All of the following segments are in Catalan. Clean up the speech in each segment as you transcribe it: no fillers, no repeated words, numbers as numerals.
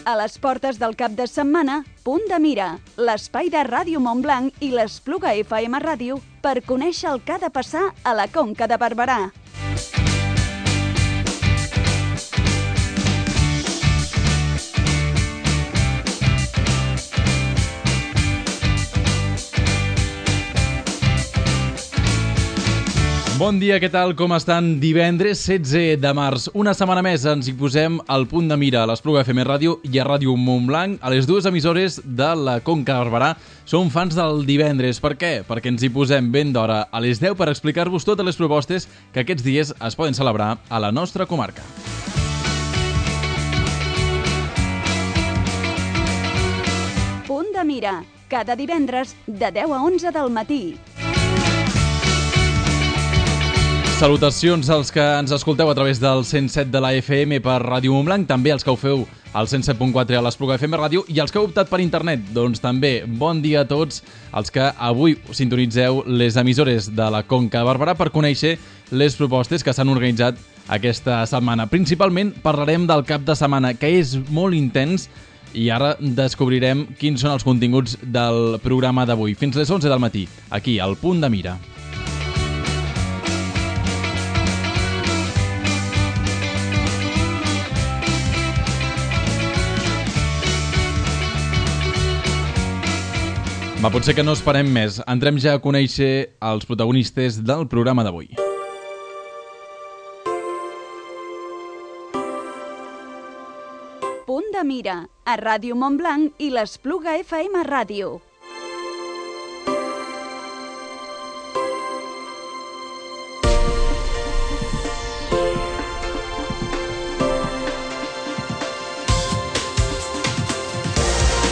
A les portes del cap de setmana, Punt de Mira, l'espai de Ràdio Montblanc i l'Espluga FM Ràdio per conèixer el que ha de passar a la Conca de Barberà. Bon dia, què tal? Com estan? Divendres 16 de març. Una setmana més ens hi posem al Punt de Mira a l'Espluga FM Ràdio i a Ràdio Montblanc, a les dues emissores de la Conca de Barberà. Som fans del divendres. Per què? Perquè ens hi posem ben d'hora a les 10 per explicar-vos totes les propostes que aquests dies es poden celebrar a la nostra comarca. Punt de Mira, cada divendres de 10 a 11 del matí. Salutacions als que ens escolteu a través del 107 de la FM per Ràdio Montblanc, també als que ho feu al 107.4 a l'Espluga FM Ràdio i als que heu optat per internet. Doncs també bon dia a tots els que avui sintonitzeu les emissores de la Conca de Barberà per conèixer les propostes que s'han organitzat aquesta setmana. Principalment parlarem del cap de setmana, que és molt intens, i ara descobrirem quins són els continguts del programa d'avui. Fins les 11 del matí, aquí, al Punt de Mira. Va, potser que no esperem més. Entrem ja a conèixer els protagonistes del programa d'avui. Punt de Mira, a Ràdio Montblanc i l'Espluga FM Ràdio.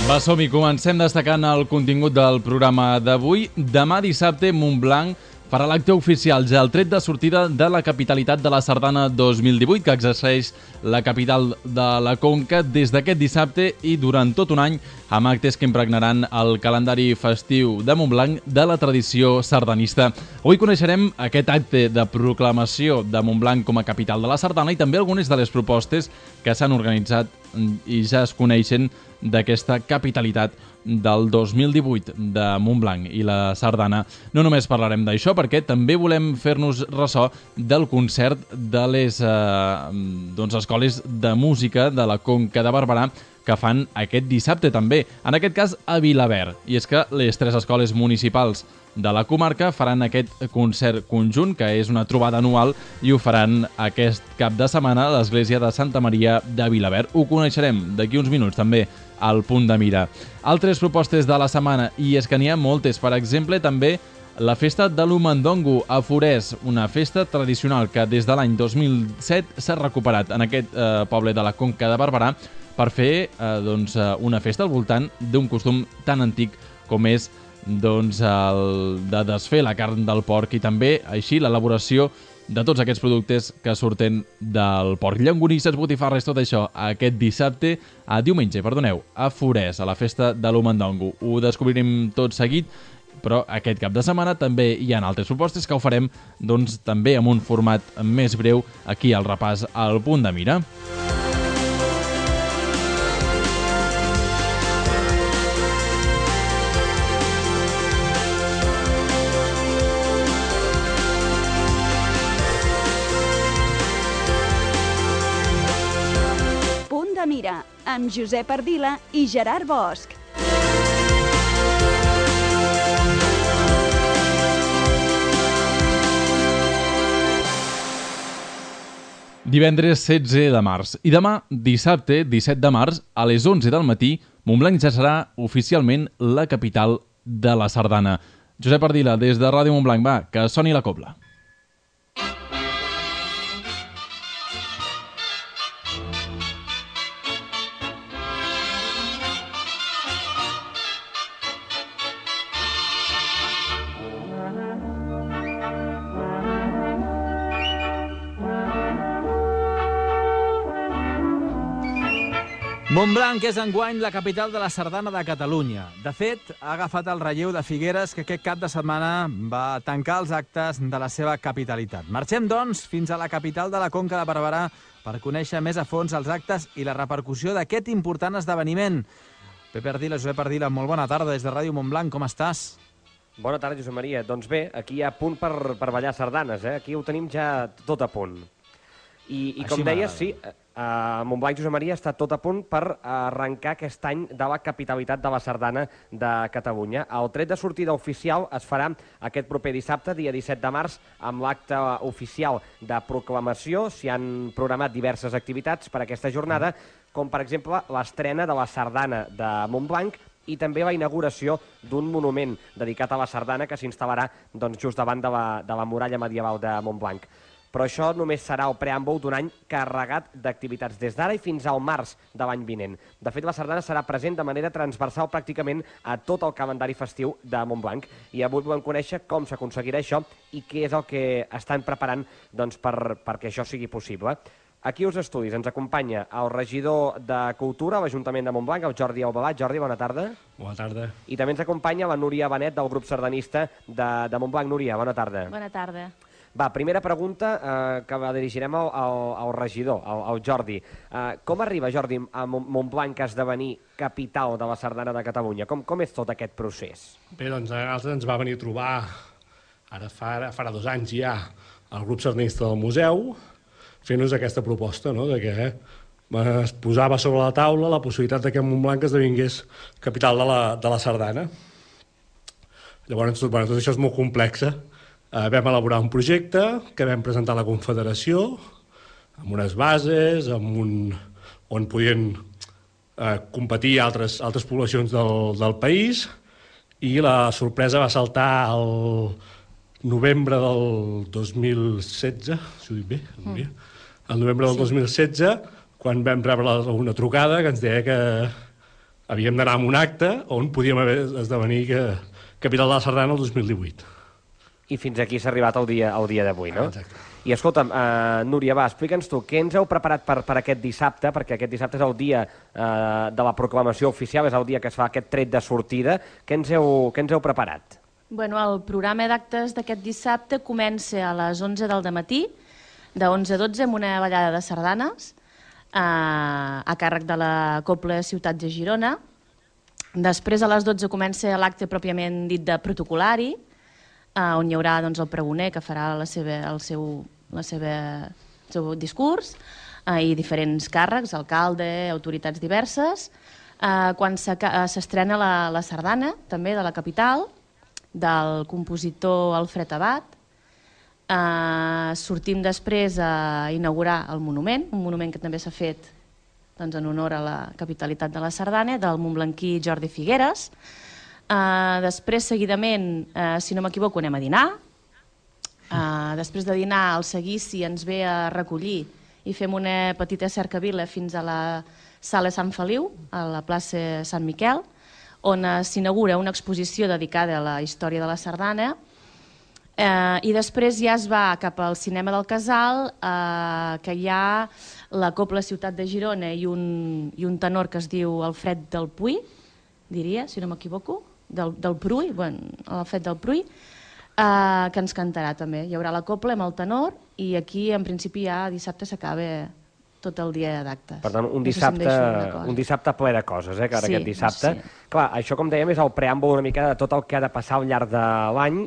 Va, som-hi, comencem destacant el contingut del programa d'avui. Demà dissabte, Montblanc farà l'acte oficial, ja el tret de sortida de la capitalitat de la Sardana 2018, que exerceix la capital de la Conca des d'aquest dissabte i durant tot un any, amb actes que impregnaran el calendari festiu de Montblanc de la tradició sardanista. Avui coneixerem aquest acte de proclamació de Montblanc com a capital de la Sardana i també algunes de les propostes que s'han organitzat i ja es coneixen d'aquesta capitalitat del 2018 de Montblanc i la Sardana. No només parlarem d'això, perquè també volem fer-nos ressò del concert de les escoles de música de la Conca de Barberà que fan aquest dissabte també, en aquest cas a Vilaverd. I és que les tres escoles municipals de la comarca faran aquest concert conjunt, que és una trobada anual, i ho faran aquest cap de setmana a l'església de Santa Maria de Vilaverd. Ho coneixerem d'aquí uns minuts també al Punt de Mira. Altres propostes de la setmana, i és que n'hi ha moltes. Per exemple, també la festa de l'Umandongo a Forès, una festa tradicional que des de l'any 2007 s'ha recuperat en aquest poble de la Conca de Barberà per fer una festa al voltant d'un costum tan antic com és el de desfer la carn del porc i també així l'elaboració de tots aquests productes que surten del porc. Llonganisses, botifarres, tot això aquest diumenge, a Forès, a la festa de l'Umandongo. Ho descobrirem tot seguit, però aquest cap de setmana també hi ha altres propostes que ho farem també amb un format més breu aquí al repàs al Punt de Mira. Mira, amb Josep Ardila i Gerard Bosch. Divendres 16 de març i demà, dissabte 17 de març, a les 11 del matí, Montblanc ja serà oficialment la capital de la Sardana. Josep Ardila, des de Ràdio Montblanc, va, que soni la cobla. Montblanc és enguany la capital de la sardana de Catalunya. De fet, ha agafat el relleu de Figueres, que aquest cap de setmana va tancar els actes de la seva capitalitat. Marxem, doncs, fins a la capital de la Conca de Barberà per conèixer més a fons els actes i la repercussió d'aquest important esdeveniment. Pepe Ardila, Josep Ardila, molt bona tarda des de Ràdio Montblanc. Com estàs? Bona tarda, Josep Maria. Doncs bé, aquí hi ha punt per ballar sardanes, eh? Aquí ho tenim ja tot a punt. I com deies, sí, Montblanc, Josep Maria, està tot a punt per arrencar aquest any de la capitalitat de la sardana de Catalunya. El tret de sortida oficial es farà aquest proper dissabte, dia 17 de març, amb l'acte oficial de proclamació. S'hi han programat diverses activitats per aquesta jornada, com per exemple l'estrena de la sardana de Montblanc i també la inauguració d'un monument dedicat a la sardana que s'instal·larà just davant de la muralla medieval de Montblanc. Però això només serà el preàmbul d'un any carregat d'activitats des d'ara i fins al març de l'any vinent. De fet, la sardana serà present de manera transversal pràcticament a tot el calendari festiu de Montblanc. I avui volem conèixer com s'aconseguirà això i què és el que estan preparant perquè això sigui possible. Aquí als estudis ens acompanya el regidor de Cultura a l'Ajuntament de Montblanc, el Jordi Aubelat. Jordi, bona tarda. Bona tarda. I també ens acompanya la Núria Benet del grup sardanista de Montblanc. Núria, bona tarda. Bona tarda. Va, primera pregunta que la dirigirem al regidor, al Jordi. Com arriba, Jordi, a Montblanc a esdevenir capital de la sardana de Catalunya? Com és tot aquest procés? Bé, doncs a nosaltres ens va venir a trobar, ara farà 2 anys ja, el grup sardanista del museu, fent-nos aquesta proposta, no?, de que es posava sobre la taula la possibilitat que Montblanc esdevingués capital de la sardana. Llavors, tot això és molt complex. Vam elaborar un projecte que vam presentar a la Confederació amb unes bases, on podien competir altres poblacions del país, i la sorpresa va saltar el novembre del 2016, si ho dic bé, el novembre del 2016, quan vam rebre una trucada que ens deia que havíem d'anar a un acte on podíem esdevenir capital de la sardana el 2018. I fins aquí s'ha arribat el dia d'avui, no? Exacte. I escolta'm, Núria, va, explica'ns tu, què ens heu preparat per aquest dissabte? Perquè aquest dissabte és el dia de la proclamació oficial, és el dia que es fa aquest tret de sortida. Què ens heu preparat? Bueno, el programa d'actes d'aquest dissabte comença a les 11 del dematí, de 11 a 12, amb una ballada de sardanes, a càrrec de la Cobla Ciutat de Girona. Després, a les 12, comença l'acte pròpiament dit de protocolari, on hi haurà el pregoner que farà el seu discurs, i diferents càrrecs, alcalde, autoritats diverses. Quan s'estrena la sardana, també de la capital, del compositor Alfred Abat, sortim després a inaugurar el monument, un monument que també s'ha fet en honor a la capitalitat de la sardana, del montblanquí Jordi Figueres. Després, seguidament, si no m'equivoco, anem a dinar. Després de dinar, el seguici ens ve a recollir i fem una petita cercavila fins a la Sala Sant Feliu, a la plaça Sant Miquel, on s'inaugura una exposició dedicada a la història de la sardana. I després ja es va cap al cinema del Casal, que hi ha la Cobla Ciutat de Girona i un tenor que es diu Alfred del Puy, diria, si no m'equivoco, del Pruy, Alfred del Pruy, que ens cantarà també. Hi haurà la cobla amb el tenor i aquí, en principi, ja dissabte s'acaba tot el dia d'actes. Per tant, un dissabte ple de coses, que ara aquest dissabte. Clar, això, com dèiem, és el preàmbul una mica de tot el que ha de passar al llarg de l'any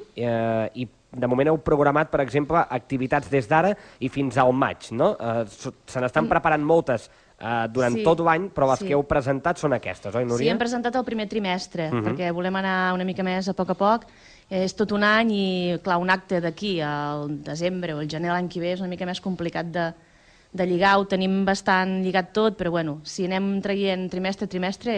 i de moment heu programat, per exemple, activitats des d'ara i fins al maig, no? Se n'estan preparant moltes durant tot l'any, però les que heu presentat són aquestes, oi, Núria? Sí, hem presentat el primer trimestre, perquè volem anar una mica més a poc. És tot un any i, clar, un acte d'aquí al desembre o al gener l'any que ve és una mica més complicat de lligar. Ho tenim bastant lligat tot, però bueno, si anem traient trimestre a trimestre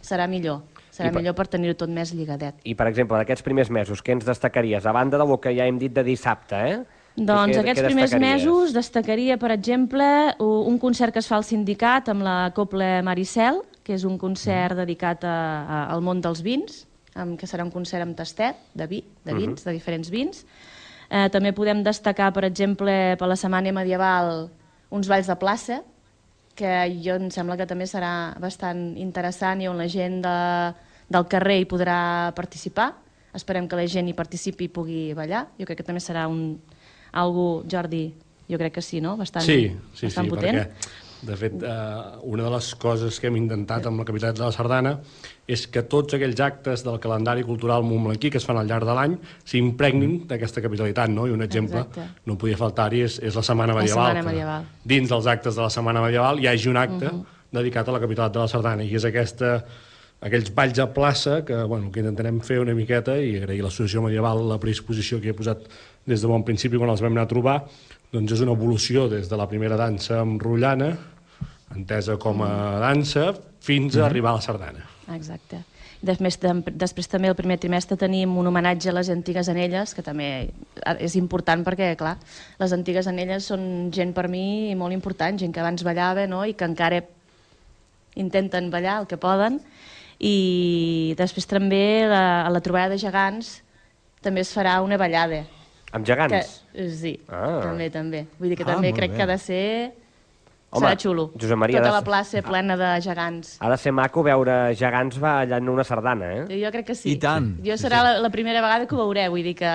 serà millor. Serà millor per tenir-ho tot més lligadet. I, per exemple, d'aquests primers mesos, què ens destacaries? A banda del que ja hem dit de dissabte, Doncs aquests primers mesos destacaria, per exemple, un concert que es fa al sindicat amb la Cobla Maricel, que és un concert dedicat al món dels vins, que serà un concert amb tastet de vins, de diferents vins. També podem destacar, per exemple, per la Setmana Medieval, uns balls de plaça, que jo em sembla que també serà bastant interessant i on la gent del carrer hi podrà participar. Esperem que la gent hi participi i pugui ballar. Jo crec que també serà algo, Jordi, jo crec que sí, no? Bastant potent. Perquè, de fet, una de les coses que hem intentat amb la capitalitat de la Sardana és que tots aquells actes del calendari cultural montblanquí que es fan al llarg de l'any s'impregnin d'aquesta capitalitat, no? I un exemple, no podia faltar-hi, és la Setmana Medieval. Dins dels actes de la Setmana Medieval hi hagi un acte dedicat a la capitalitat de la Sardana, i és aquells balls a plaça que intentarem fer una miqueta, i agrair a l'Associació Medieval la predisposició que he posat des de bon principi quan els vam anar a trobar. Doncs és una evolució des de la primera dansa amb rotllana, entesa com a dansa, fins a arribar a la sardana. Exacte. Després també el primer trimestre tenim un homenatge a les antigues anelles, que també és important perquè, clar, les antigues anelles són gent per mi molt important, gent que abans ballava, no?, i que encara intenten ballar el que poden. I després també a la trobada de gegants també es farà una ballada. Amb gegants? Sí, també. Vull dir que també crec que ha de ser... Serà xulo. Josep Maria, tota la plaça plena de gegants. Ha de ser maco veure gegants ballant una sardana, eh? Jo crec que sí. I tant. Serà la primera vegada que ho veuré, vull dir que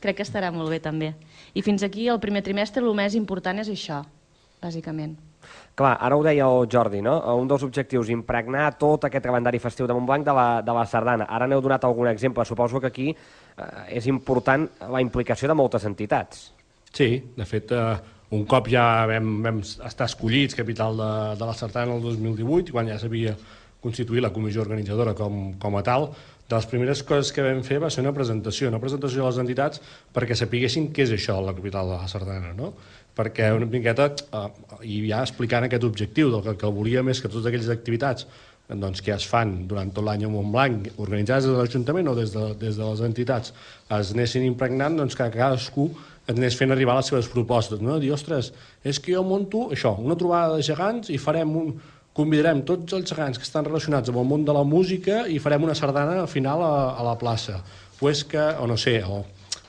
crec que estarà molt bé també. I fins aquí, el primer trimestre, el més important és això, bàsicament. Clar, ara ho deia el Jordi, no? Un dels objectius, impregnar tot aquest calendari festiu de Montblanc de la sardana. Ara n'heu donat algun exemple. Suposo que aquí és important la implicació de moltes entitats. Sí, de fet, un cop ja vam estar escollits capital de la sardana el 2018, quan ja s'havia constituït la comissió organitzadora com a tal, de les primeres coses que vam fer va ser una presentació de les entitats perquè sapiguessin què és això, la capital de la sardana, no? Perquè una miqueta, i ja explicant aquest objectiu, del que volíem és que totes aquelles activitats que es fan durant tot l'any a Montblanc, organitzades des de l'Ajuntament o des de les entitats, es anessin impregnant, que cadascú anés fent arribar les seves propostes, no? Dir, ostres, és que jo monto això, una trobada de gegants i convidarem tots els gegants que estan relacionats amb el món de la música i farem una sardana al final a la plaça. Pues que, o no sé, o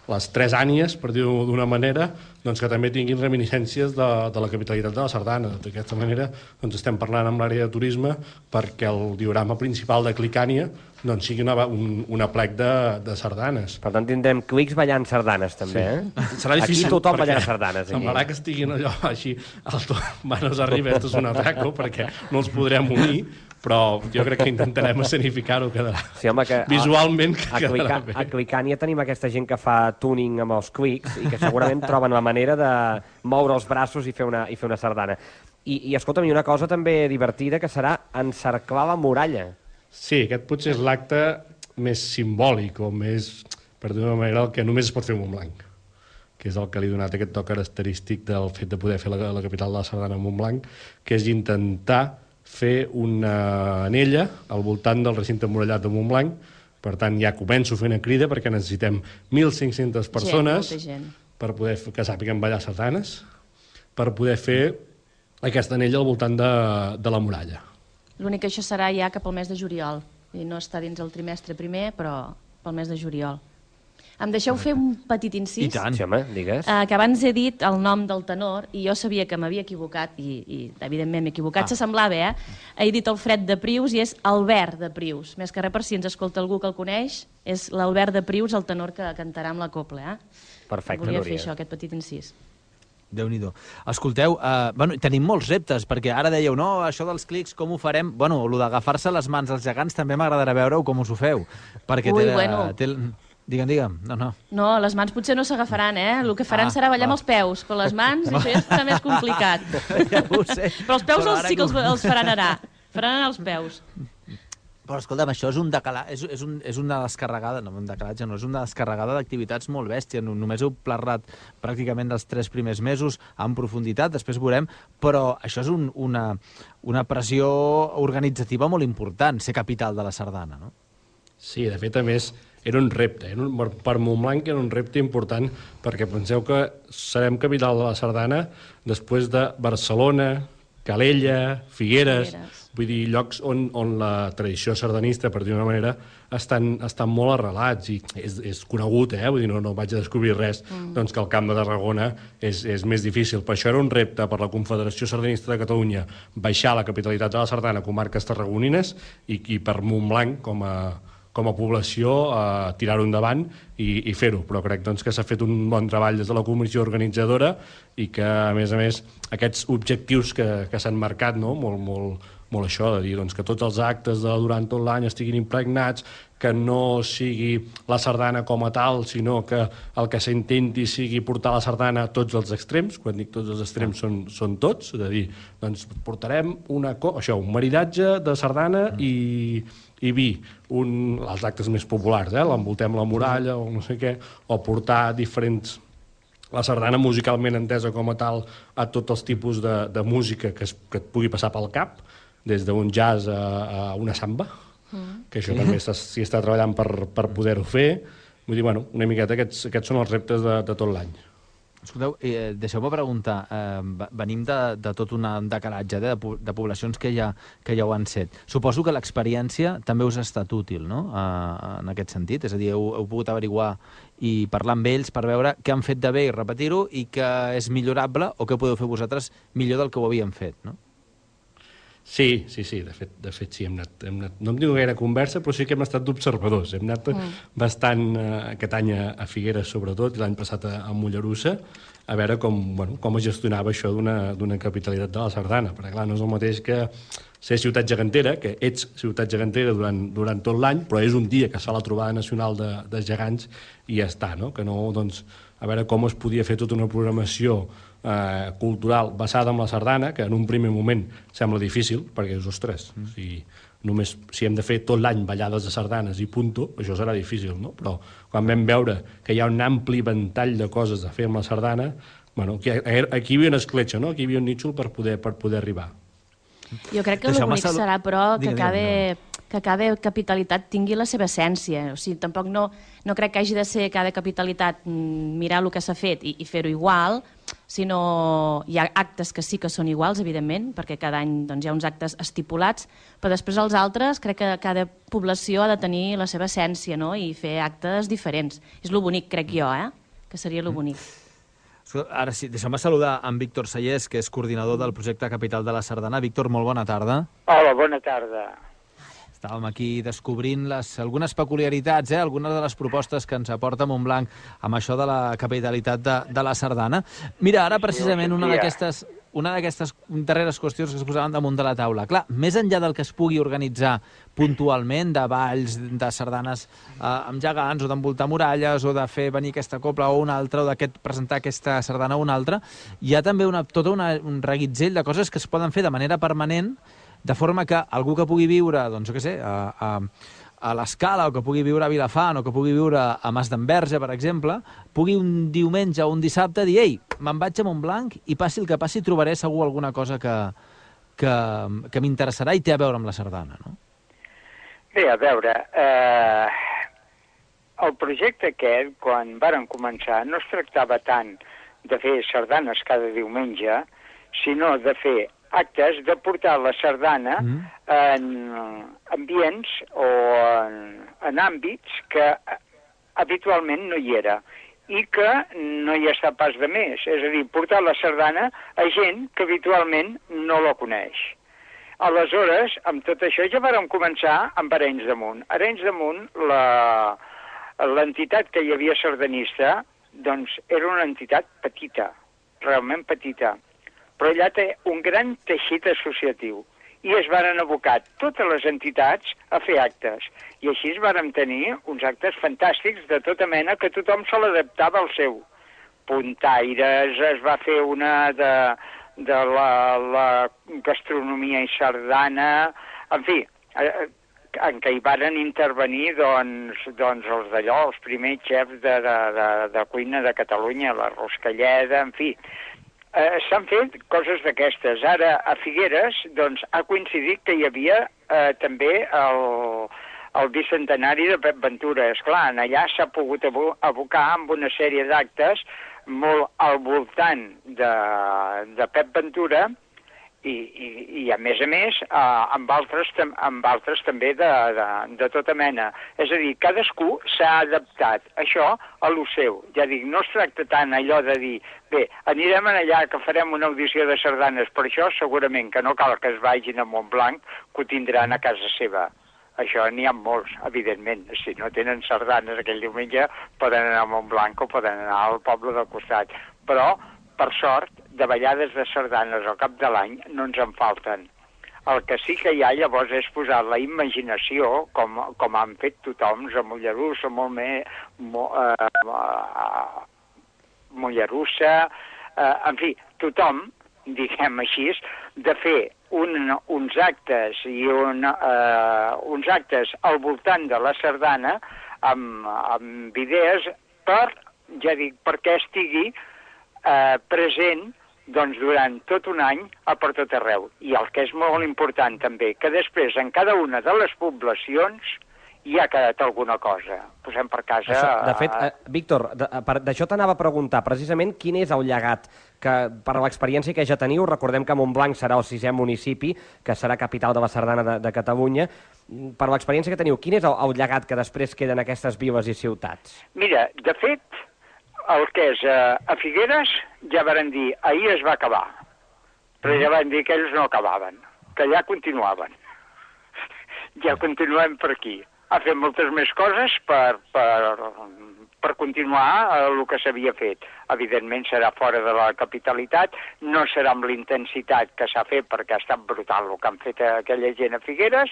les tres ànies, per dir-ho d'una manera, que també tinguin reminiscències de la capitalitat de la sardana. D'aquesta manera estem parlant amb l'àrea de turisme perquè el diorama principal de Clicània sigui un aplec de sardanes. Per tant, tindrem clics ballant sardanes, també, eh? Serà difícil. Aquí tothom ballant sardanes. Semblarà que estiguin allò així, manos arriba, esto és un atraco, perquè no els podrem unir, però jo crec que intentarem escenificar-ho, quedarà. Sí, home, que visualment quedarà bé. A Clicània tenim aquesta gent que fa tuning amb els clics i que segurament troben la manera de moure els braços i fer una sardana. I escolta'm, una cosa també divertida que serà encerclar la muralla. Sí, aquest potser és l'acte més simbòlic o més, per dir-ho d'una manera, el que només es pot fer a Montblanc, que és el que li ha donat aquest toc característic del fet de poder fer la capital de la sardana a Montblanc, que és intentar fer una anella al voltant del recinte emmurallat de Montblanc. Per tant, ja començo fent una crida perquè necessitem 1.500 persones per poder que sàpiguen ballar sardanes, per poder fer aquesta anella al voltant de la muralla. L'únic que això serà ja cap al mes de juliol. I no està dins el trimestre primer, però pel mes de juliol. Em deixeu fer un petit incís? I tant. Sí, home, digues. Que abans he dit el nom del tenor i jo sabia que m'havia equivocat i evidentment m'he equivocat, s'assemblava, He dit el Fred de Prius i és Albert de Prius. Més que res, per si ens escolta algú que el coneix, és l'Albert de Prius, el tenor que cantarà amb la cobla, Perfecte, Volia fer això, aquest petit incís. Déu-n'hi-do. Escolteu, tenim molts reptes, perquè ara dèieu, no, això dels clics, com ho farem? Bueno, el d'agafar-se les mans als gegants també m'agradarà veure-ho com us ho feu. Perquè Digue'm. No. No, les mans potser no s'agafaran, El que faran serà ballar amb els peus, però les mans, això ja està més complicat. Ja ho sé. Però els peus sí que els faran anar. Faran anar els peus. Però escolta'm, això és un decalat, és una descarregada, no, un decalatge no, és una descarregada d'activitats molt bèstia. Només heu parlat pràcticament dels 3 primers mesos en profunditat, després veurem, però això és una pressió organitzativa molt important, ser capital de la sardana, no? Sí, de fet, a més, era un repte. Per Montblanc era un repte important, perquè penseu que serem capital de la sardana després de Barcelona, Calella, Figueres, vull dir, llocs on la tradició sardanista, per dir d'una manera, estan molt arrelats, i és conegut, vull dir, no vaig a descobrir res, doncs que el Camp de Tarragona és més difícil. Per això era un repte per la Confederació Sardanista de Catalunya baixar la capitalitat de la Sardana a comarques tarragonines i per Montblanc, com a població, tirar-ho endavant i fer-ho. Però crec doncs, que s'ha fet un bon treball des de la comissió organitzadora i que, a més, aquests objectius que s'han marcat, no? molt això, de dir doncs, que tots els actes durant tot l'any estiguin impregnats, que no sigui la sardana com a tal, sinó que el que s'intenti sigui portar la sardana a tots els extrems. Quan dic tots els extrems són tots, és a dir, doncs portarem un maridatge de sardana i vi, els actes més populars, l'envoltem la muralla o no sé què, o portar la sardana musicalment entesa com a tal a tots els tipus de música que et pugui passar pel cap, des d'un jazz a una samba, que això també s'hi està treballant per poder-ho fer. Vull dir, una miqueta aquests són els reptes de tot l'any. Escolteu, deixeu-me preguntar, venim de tot un decalatge de poblacions que ja ho han set. Suposo que l'experiència també us ha estat útil, no?, en aquest sentit? És a dir, heu pogut averiguar i parlar amb ells per veure què han fet de bé i repetir-ho i que és millorable o què podeu fer vosaltres millor del que ho havíem fet, no? Sí, de fet sí, hem anat, no hem tingut gaire conversa, però sí que hem estat d'observadors. Hem anat bastant aquest any a Figueres, sobretot, i l'any passat a Mollerussa, a veure com es gestionava això d'una capitalitat de la sardana. Perquè, clar, no és el mateix que ser ciutat gegantera, que ets ciutat gegantera durant tot l'any, però és un dia que es fa la trobada nacional de gegants i ja està, no? Que no, doncs, a veure com es podia fer tota una programació cultural basada en la sardana, que en un primer moment sembla difícil, perquè és, ostres, si hem de fer tot l'any ballades de sardanes i punto, això serà difícil, no? Però quan vam veure que hi ha un ampli ventall de coses a fer amb la sardana, aquí hi havia una escletxa, no? Aquí hi havia un nítxol per poder arribar. Jo crec que el bonic serà, però, que cada capitalitat tingui la seva essència. O sigui, tampoc no crec que hagi de ser cada capitalitat mirar el que s'ha fet i fer-ho igual, sinó hi ha actes que sí que són iguals, evidentment, perquè cada any doncs, hi ha uns actes estipulats, però després els altres crec que cada població ha de tenir la seva essència, no?, i fer actes diferents. És lo bonic, crec jo, que seria lo bonic. Ara sí, deixeu-me saludar en Víctor Sallés, que és coordinador del projecte Capital de la Sardana. Víctor, molt bona tarda. Hola, bona tarda. Estàvem aquí descobrint algunes peculiaritats, algunes de les propostes que ens aporta Montblanc amb això de la capitalitat de la Sardana. Mira, ara precisament una d'aquestes darreres qüestions que es posaven damunt de la taula. Clar, més enllà del que es pugui organitzar puntualment, de balls, de sardanes amb gegants, o d'envoltar muralles, o de fer venir aquesta cobla o una altra, o de presentar aquesta sardana o una altra, hi ha també tot un reguitzell de coses que es poden fer de manera permanent, de forma que algú que pugui viure, doncs, jo què sé, a l'Escala, o que pugui viure a Vilafant, o que pugui viure a Mas d'Enverge, per exemple, pugui un diumenge o un dissabte dir, ei, me'n vaig a Montblanc i passi el que passi, trobaré segur alguna cosa que m'interessarà i té a veure amb la sardana, no? Bé, a veure, el projecte aquest, quan varen començar, no es tractava tant de fer sardanes cada diumenge, sinó de fer actes de portar la sardana en ambients o en àmbits que habitualment no hi era i que no hi està pas de més. És a dir, portar la sardana a gent que habitualment no la coneix. Aleshores, amb tot això ja vàrem començar amb Arenys de Munt. Arenys de Munt, l'entitat que hi havia sardanista, doncs era una entitat petita, realment petita, però allà té un gran teixit associatiu i es varen abocar totes les entitats a fer actes. I així es varen tenir uns actes fantàstics de tota mena que tothom se l'adaptava al seu. Puntaires, es va fer una de la gastronomia i sardana, en fi, en què hi varen intervenir doncs els d'allò, els primers xefs de cuina de Catalunya, la Roscalleda, en fi. S'han fet coses d'aquestes. Ara, a Figueres, doncs, ha coincidit que hi havia també el bicentenari de Pep Ventura. Esclar, allà s'ha pogut abocar amb una sèrie d'actes molt al voltant de Pep Ventura I a més, amb altres també de tota mena. És a dir, cadascú s'ha adaptat això a lo seu. Ja dic, no es tracta tant allò de dir, bé, anirem allà que farem una audició de sardanes, per això segurament que no cal que es vagin a Montblanc, que ho tindran a casa seva. Això n'hi ha molts, evidentment. Si no tenen sardanes aquell diumenge, poden anar a Montblanc o poden anar al poble del costat. Però, per sort, de ballades de sardanes al cap de l'any no ens en falten. El que sí que hi ha llavors és posar la imaginació, com han fet tothom, a Mollerussa, Mollerussa, en fi, tothom, diguem així, de fer uns actes i uns actes al voltant de la sardana amb idees perquè estigui present doncs, durant tot un any per tot arreu. I el que és molt important també, que després en cada una de les poblacions hi ha quedat alguna cosa. Posem per casa... De fet, Víctor, d'això t'anava a preguntar precisament quin és el llegat que, per l'experiència que ja teniu, recordem que Montblanc serà el 6è municipi, que serà capital de la sardana de Catalunya. Per l'experiència que teniu, quin és el llegat que després queda en aquestes viles i ciutats? Mira, de fet, el que és a Figueres ja varen dir, ahir es va acabar, però ja van dir que ells no acabaven, que ja continuaven. Ja continuem per aquí. Ha fet moltes més coses per continuar el que s'havia fet. Evidentment serà fora de la capitalitat, no serà amb l'intensitat que s'ha fet perquè ha estat brutal el que han fet aquella gent a Figueres,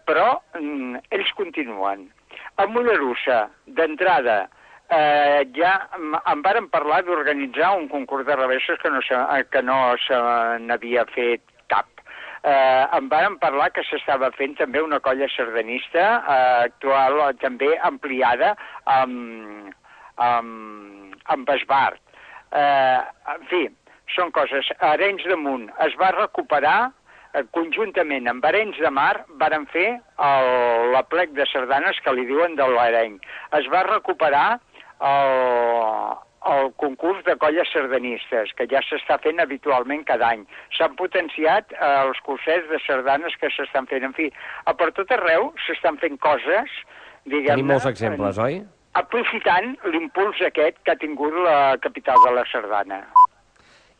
però ells continuen. A Mollerussa, d'entrada, ja em varen parlar d'organitzar un concurs de revessos que no se n'havia fet cap. Em varen parlar que s'estava fent també una colla sardanista actual, també ampliada amb esbart. En fi, són coses. A Arenys de Munt es va recuperar conjuntament amb Arenys de Mar varen fer l'aplec de sardanes que li diuen de l'Areny. Es va recuperar el concurs de colles sardanistes, que ja s'està fent habitualment cada any. S'han potenciat els cursets de sardanes que s'estan fent. En fi, per tot arreu s'estan fent coses, diguem-ne... Tenim molts exemples, oi? Aprofitant l'impuls aquest que ha tingut la capital de la sardana.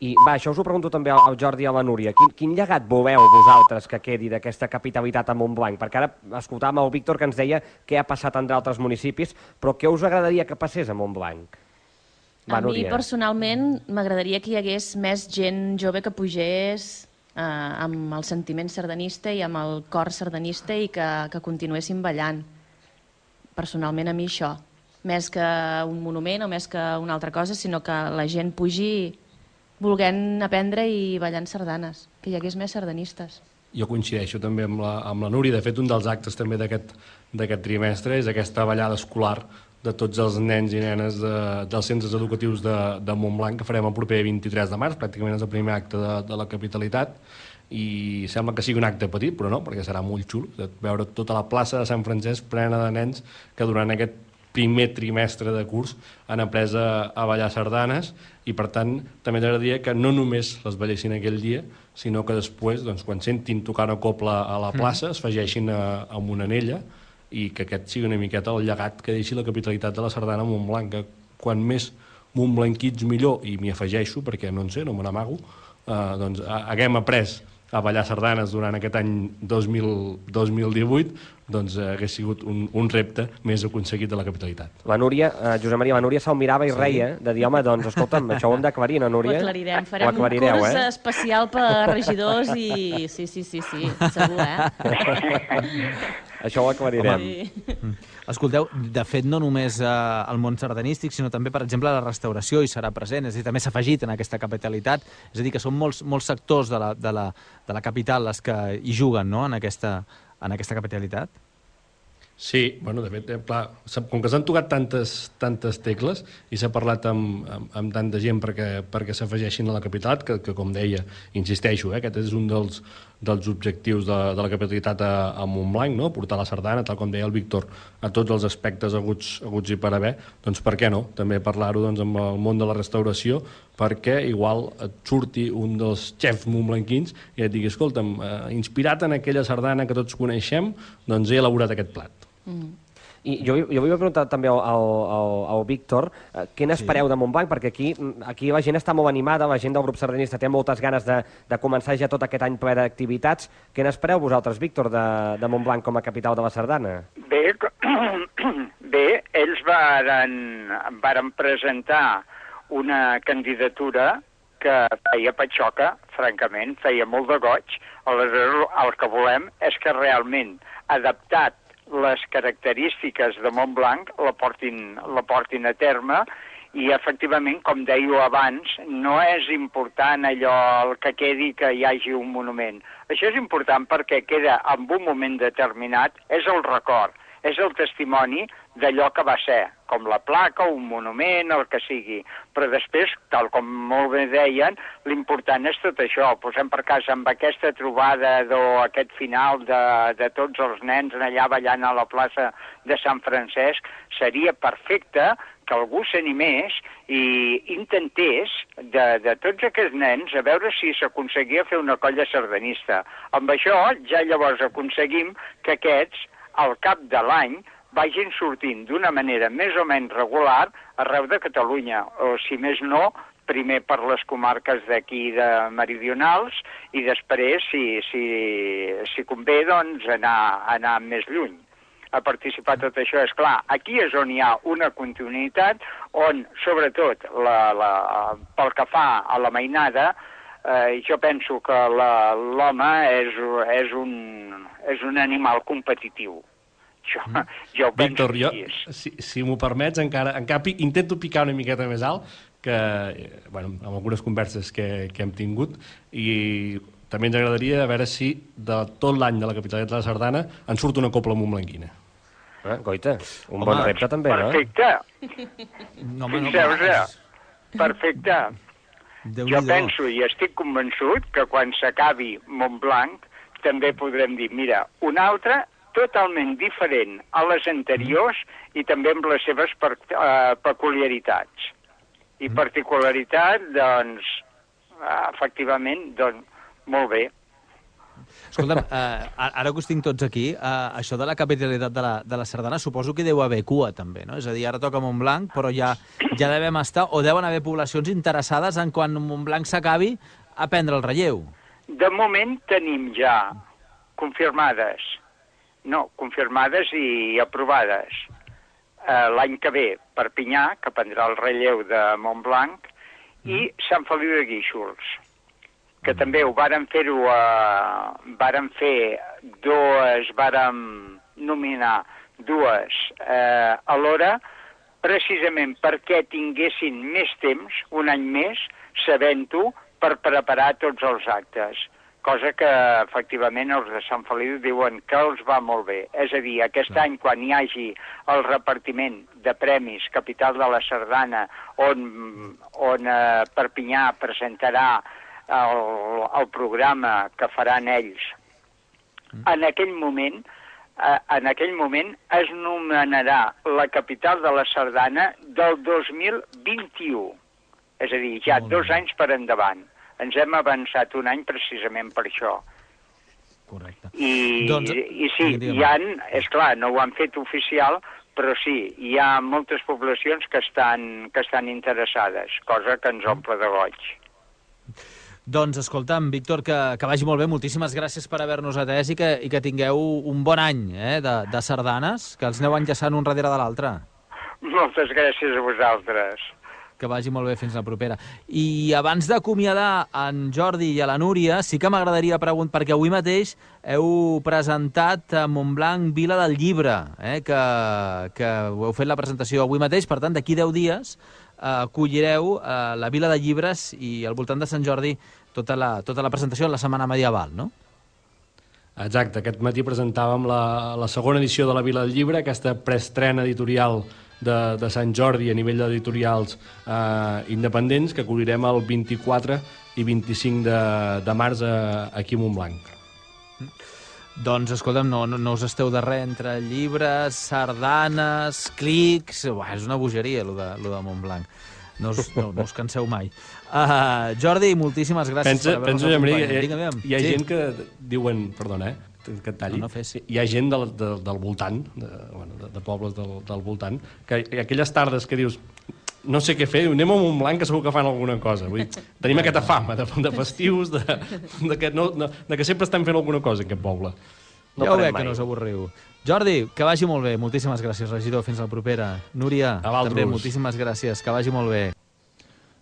I va, això us ho pregunto també al Jordi i a la Núria. Quin llegat voleu vosaltres que quedi d'aquesta capitalitat a Montblanc? Perquè ara escoltàvem el Víctor que ens deia què ha passat en d'altres municipis, però què us agradaria que passés a Montblanc? Va, a mi, personalment, m'agradaria que hi hagués més gent jove que pugés amb el sentiment sardanista i amb el cor sardanista i que continuessin ballant. Personalment, a mi això. Més que un monument o més que una altra cosa, sinó que la gent pugi volent aprendre i ballant sardanes, que hi hagués més sardanistes. Jo coincideixo també amb la Núria. De fet, un dels actes també d'aquest trimestre és aquesta ballada escolar de tots els nens i nenes dels centres educatius de Montblanc, que farem el proper 23 de març, pràcticament és el primer acte de la capitalitat, i sembla que sigui un acte petit, però no, perquè serà molt xulo, veure tota la plaça de Sant Francesc plena de nens que durant aquest primer trimestre de curs han après a ballar sardanes i, per tant, també t'agradaria que no només les ballessin aquell dia, sinó que després, doncs, quan sentin tocar una copla a la plaça, es afegeixin amb una anella i que aquest sigui una miqueta el llegat que deixi la capitalitat de la sardana a Montblanc, que quan més montblanquits millor, i m'hi afegeixo perquè no en sé, no me n'amago, doncs haguem après a ballar sardanes durant aquest any 2018, doncs hagués sigut un repte més aconseguit de la capitalitat. La Núria, Josep Maria, la Núria se'l mirava i reia, de dir, home, doncs, escolta'm, això ho hem d'aclarir, no, Núria? Ho aclarirem, farem un curs especial per regidors i... Sí, segur, Això ho aclarirem. Escolteu, de fet, no només el món sardanístic, sinó també, per exemple, la restauració hi serà present, és a dir, també s'ha afegit en aquesta capitalitat, és a dir, que són molts sectors de la capital els que hi juguen, no?, en aquesta capitalitat. Sí, bueno, de fet, clar, com que s'han tocat tantes tecles i s'ha parlat amb tanta gent perquè s'afegeixin a la capitalitat, que com deia, insisteixo, aquest és un dels objectius de la capitalitat a Montblanc, no? Portar la sardana, tal com deia el Víctor, a tots els aspectes aguts i per haver, doncs per què no? També parlar-ho amb el món de la restauració, perquè igual et surti un dels xefs montblanquins i et digui, escolta'm, inspirat en aquella sardana que tots coneixem, doncs he elaborat aquest plat. I jo vull preguntar també al Víctor, què n'espereu de Montblanc? Perquè aquí la gent està molt animada, la gent del grup sardanista té moltes ganes de començar ja tot aquest any ple d'activitats. Què n'espereu vosaltres, Víctor, de Montblanc com a capital de la sardana? Bé, ells varen presentar una candidatura que feia patxoca, francament, feia molt de goig. Aleshores, el que volem és que realment, adaptat les característiques de Montblanc, la portin a terme i, efectivament, com dèieu abans, no és important allò el que quedi que hi hagi un monument. Això és important perquè queda en un moment determinat, és el record, és el testimoni d'allò que va ser, com la placa, un monument, el que sigui. Però després, tal com molt bé deien, l'important és tot això. Posem per cas amb aquesta trobada aquest final de tots els nens allà ballant a la plaça de Sant Francesc, seria perfecte que algú s'animés i intentés, de tots aquests nens, a veure si s'aconseguia fer una colla sardanista. Amb això ja llavors aconseguim que aquests, al cap de l'any, vagin sortint d'una manera més o menys regular arreu de Catalunya, o si més no, primer per les comarques d'aquí de meridionals i després, si convé, doncs anar més lluny a participar tot això. És clar, aquí és on hi ha una continuïtat, on, sobretot, pel que fa a la mainada, jo penso que l'home és un animal competitiu. Jo ho penso. Víctor, si m'ho permets, encara intento picar una miqueta més alt, que, amb algunes converses que hem tingut, i també ens agradaria veure si de tot l'any de la capitalitat de la sardana en surt una copla montblanquina. Goita, un bon repte també, no? Perfecte. Perfecte. Jo penso i estic convençut que quan s'acabi Montblanc també podrem dir, mira, una altra totalment diferent a les anteriors i també amb les seves peculiaritats. I particularitat, doncs, efectivament, doncs, molt bé. Escolta'm, ara que us tinc tots aquí, això de la capitalitat de la sardana suposo que deu haver cua també, no? És a dir, ara toca Montblanc, però ja devem estar, o deuen haver poblacions interessades en quan Montblanc s'acabi a prendre el relleu. De moment tenim ja confirmades i aprovades l'any que ve Perpinyà, que prendrà el relleu de Montblanc, i Sant Feliu de Guíxols, que també ho vàrem nominar dues alhora, precisament perquè tinguessin més temps, un any més, sabent-ho, per preparar tots els actes. Cosa que, efectivament, els de Sant Feliu diuen que els va molt bé. És a dir, aquest any, quan hi hagi el repartiment de premis Capital de la Sardana, on Perpinyà presentarà el programa que faran ells, en aquell moment es nomenarà la capital de la sardana del 2021. És a dir, ja 2 anys per endavant. Ens hem avançat un any precisament per això. Correcte. I sí, és clar, no ho han fet oficial, però sí, hi ha moltes poblacions que estan interessades, cosa que ens omple de goig. Doncs, escolta'm, Víctor, que vagi molt bé. Moltíssimes gràcies per haver-nos atès i que tingueu un bon any de sardanes, que els aneu enllaçant un darrere de l'altre. Moltes gràcies a vosaltres. Que vagi molt bé, fins la propera. I abans d'acomiadar en Jordi i a la Núria, sí que m'agradaria preguntar, perquè avui mateix heu presentat a Montblanc Vila del Llibre, que heu fet la presentació avui mateix, per tant, d'aquí 10 dies acollireu la Vila de Llibres i al voltant de Sant Jordi tota la presentació de la Setmana Medieval, no? Exacte, aquest matí presentàvem la segona edició de la Vila del Llibre, aquesta preestrena editorial de Sant Jordi a nivell d'editorials independents, que acollirem el 24 i 25 de març aquí a Montblanc. Doncs, escolta'm, no us esteu de res entre llibres, sardanes, clics... és una bogeria, lo de Montblanc. No us canseu mai. Jordi, moltíssimes gràcies per haver-nos acompanyat. Hi ha gent que diuen, perdona, que et talli, hi ha gent del voltant, de pobles del voltant, que aquelles tardes que dius no sé què fer, anem a Montblanc que segur que fan alguna cosa. Vull dir, tenim aquesta fama de festius, de que sempre estem fent alguna cosa en aquest poble. Ja ho veig que no us avorriu. Jordi, que vagi molt bé. Moltíssimes gràcies, regidor. Fins la propera. Núria, també moltíssimes gràcies. Que vagi molt bé.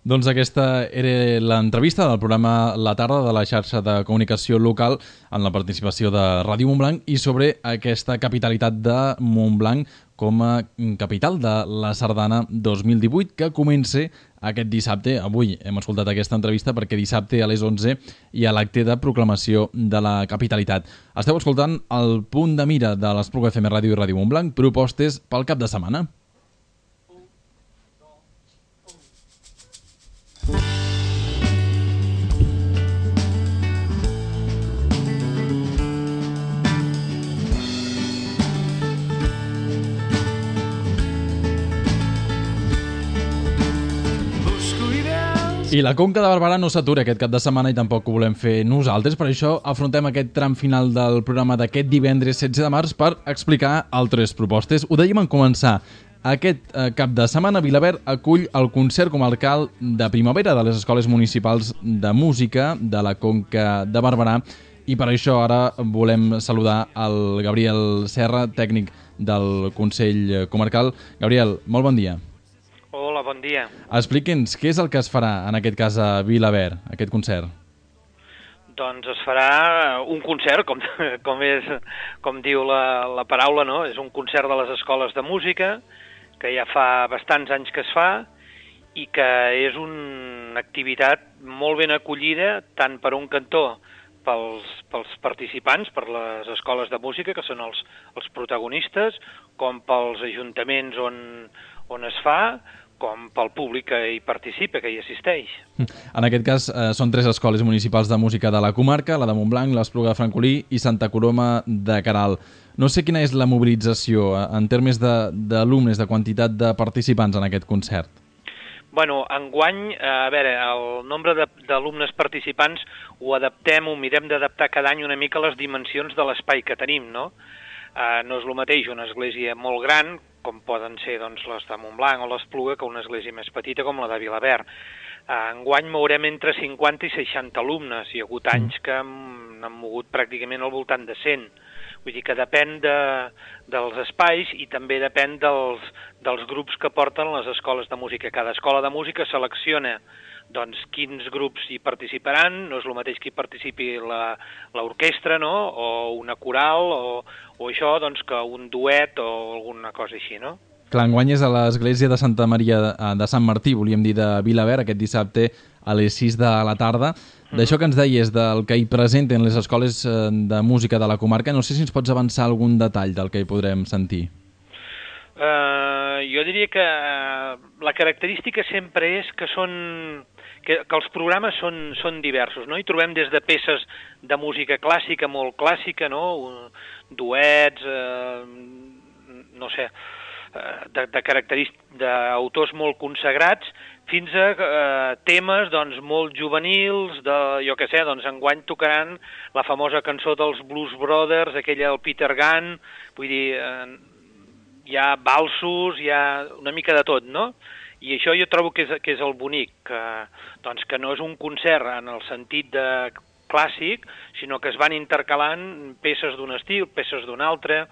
Doncs aquesta era l'entrevista del programa La Tarda de la xarxa de comunicació local en la participació de Ràdio Montblanc i sobre aquesta capitalitat de Montblanc com a capital de la Sardana 2018 que comença aquest dissabte. Avui hem escoltat aquesta entrevista perquè dissabte a les 11 hi ha l'acte de proclamació de la capitalitat. Esteu escoltant el punt de mira de l'Espluga FM Ràdio i Ràdio Montblanc, propostes pel cap de setmana. I la Conca de Barberà no s'atura aquest cap de setmana i tampoc ho volem fer nosaltres. Per això afrontem aquest tram final del programa d'aquest divendres 16 de març per explicar altres propostes. Ho dèiem en començar. Aquest cap de setmana Vilaverd acull el concert comarcal de primavera de les escoles municipals de música de la Conca de Barberà i per això ara volem saludar el Gabriel Serra, tècnic del Consell Comarcal. Gabriel, molt bon dia. Hola, bon dia. Expliqui'ns què és el que es farà en aquest cas a Vilaverd, aquest concert. Doncs es farà un concert, com diu la paraula, no? És un concert de les escoles de música, que ja fa bastants anys que es fa, i que és una activitat molt ben acollida, tant per un cantó pels participants, per les escoles de música, que són els protagonistes, com pels ajuntaments on es fa, com pel públic que hi participa, que hi assisteix. En aquest cas són 3 escoles municipals de música de la comarca, la de Montblanc, l'Espluga de Francolí i Santa Coloma de Queralt. No sé quina és la mobilització en termes d'alumnes, de quantitat de participants en aquest concert. Bueno, enguany, a veure, el nombre d'alumnes participants ho mirem d'adaptar cada any una mica a les dimensions de l'espai que tenim, no? No és el mateix una església molt gran, com poden ser doncs, les de Montblanc o l'Espluga, que una església més petita com la de Vilaverd. Enguany mourem entre 50 i 60 alumnes. Hi ha hagut anys que n'han mogut pràcticament al voltant de 100. Vull dir que depèn dels espais i també depèn dels grups que porten les escoles de música. Cada escola de música selecciona doncs, quins grups hi participaran, no és el mateix que hi participi l'orquestra, no? O una coral, o això, doncs, que un duet o alguna cosa així, no? Clar, enguany és a l'església de Santa Maria de Sant Martí, volíem dir, de Vilaverd, aquest dissabte a les 6 de la tarda. D'això que ens deies, del que hi presenten les escoles de música de la comarca, no sé si ens pots avançar algun detall del que hi podrem sentir. Jo diria que la característica sempre és que els programes són diversos, no? Hi trobem des de peces de música clàssica, molt clàssica, no? Duets, no sé, d'autors molt consagrats, fins a temes doncs, molt juvenils, jo què sé, doncs enguany tocaran la famosa cançó dels Blues Brothers, aquella del Peter Gunn, vull dir, hi ha valsos, hi ha una mica de tot, no? I això jo trobo que és el bonic, que no és un concert en el sentit de clàssic, sinó que es van intercalant peces d'un estil, peces d'un altre,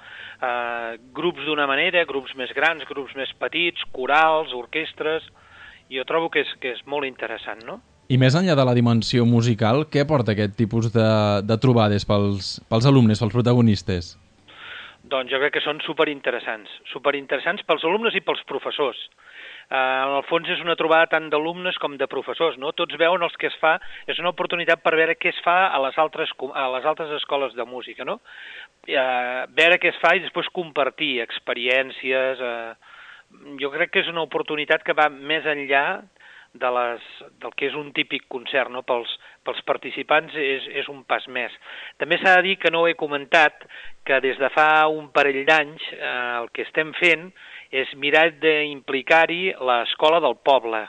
grups d'una manera, grups més grans, grups més petits, corals, orquestres. Jo trobo que és molt interessant, no? I més enllà de la dimensió musical, què aporta aquest tipus de trobades pels alumnes, pels protagonistes? Doncs jo crec que són superinteressants pels alumnes i pels professors. En el fons és una trobada tant d'alumnes com de professors, no? Tots veuen els que es fa, és una oportunitat per veure què es fa a les altres escoles de música, no? Veure què es fa i després compartir experiències. Jo crec que és una oportunitat que va més enllà del que és un típic concert, no? Pels participants és un pas més. També s'ha de dir, que no ho he comentat, que des de fa un parell d'anys el que estem fent és mirar d'implicar-hi l'escola del poble.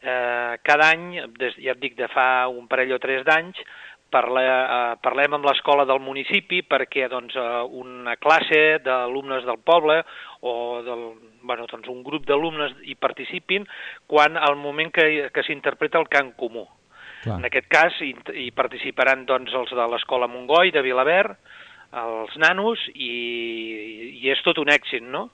cada any, ja et dic, de fa un parell o 3 d'anys, parlem amb l'escola del municipi perquè doncs, una classe d'alumnes del poble o doncs, un grup d'alumnes hi participin quan al moment que s'interpreta el cant comú. Clar. En aquest cas hi participaran doncs, els de l'escola Montgoi, de Vilaverd, els nanos, i és tot un èxit, no?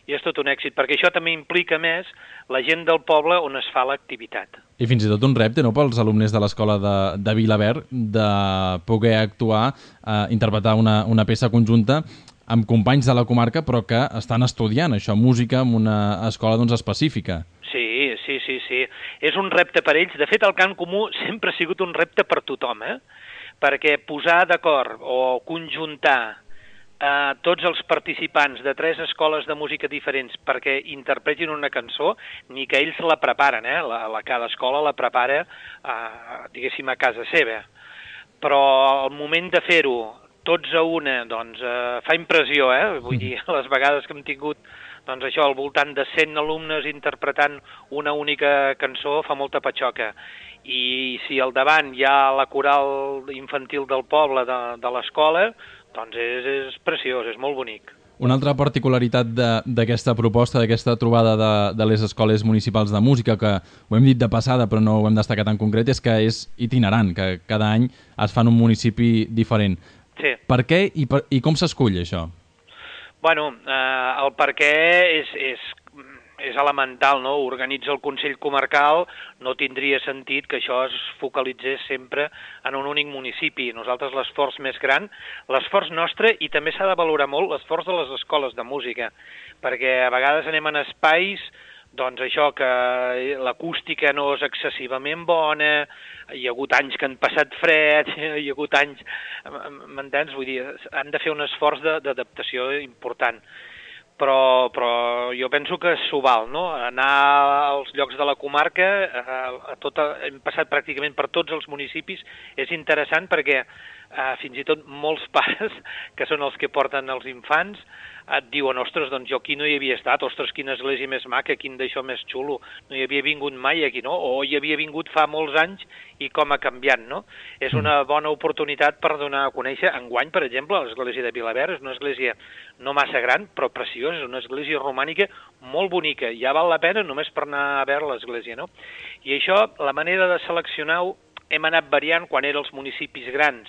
I és tot un èxit, perquè això també implica més la gent del poble on es fa l'activitat. I fins i tot un repte, no?, pels alumnes de l'escola de Vilaverd de poder actuar, interpretar una peça conjunta amb companys de la comarca, però que estan estudiant això, música, en una escola doncs, específica. Sí. És un repte per ells. De fet, el cant comú sempre ha sigut un repte per tothom, perquè posar d'acord o conjuntar tots els participants de 3 escoles de música diferents perquè interpretin una cançó, ni que ells la preparen, cada escola la prepara, diguéssim, a casa seva. Però el moment de fer-ho tots a una, doncs, fa impressió, Vull dir, les vegades que hem tingut, doncs això, al voltant de 100 alumnes interpretant una única cançó fa molta patxoca. I si al davant hi ha la coral infantil del poble de l'escola, doncs és preciós, és molt bonic. Una altra particularitat d'aquesta proposta, d'aquesta trobada de les escoles municipals de música, que ho hem dit de passada però no ho hem destacat en concret, és que és itinerant, que cada any es fa en un municipi diferent. Sí. Per què i com s'escull això? Bueno, el per què és elemental, no? Organitza el Consell Comarcal, no tindria sentit que això es focalitzés sempre en un únic municipi. Nosaltres l'esforç més gran, l'esforç nostre, i també s'ha de valorar molt l'esforç de les escoles de música, perquè a vegades anem en espais, doncs això, que l'acústica no és excessivament bona, hi ha hagut anys que han passat fred, hi ha hagut anys, m'entens? Vull dir, han de fer un esforç d'adaptació important. Però jo penso que s'ho val, no? Anar als llocs de la comarca, hem passat pràcticament per tots els municipis, és interessant perquè fins i tot molts pares, que són els que porten els infants, et diuen, ostres, doncs jo aquí no hi havia estat, ostres, quina església més maca, quin d'això més xulo, no hi havia vingut mai aquí, no? O hi havia vingut fa molts anys i com ha canviat, no? És una bona oportunitat per donar a conèixer. Enguany, per exemple, l'església de Vilaverd és una església no massa gran, però preciosa, és una església romànica molt bonica. Ja val la pena només per anar a veure l'església, no? I això, la manera de seleccionar-ho, hem anat variant. Quan eren els municipis grans,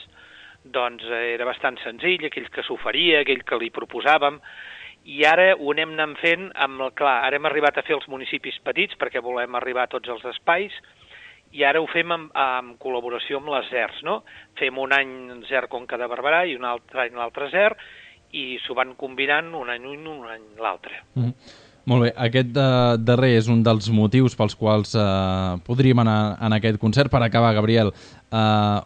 doncs era bastant senzill, aquell que s'oferia, aquell que li proposàvem, i ara ho anem anant fent clar, ara hem arribat a fer els municipis petits perquè volem arribar a tots els espais, i ara ho fem en col·laboració amb les ZERs, no? Fem un any ZER Conca de Barberà i un altre any l'altre ZER, i s'ho van combinant un any l'altre. Molt bé, aquest darrer és un dels motius pels quals podríem anar en aquest concert. Per acabar, Gabriel,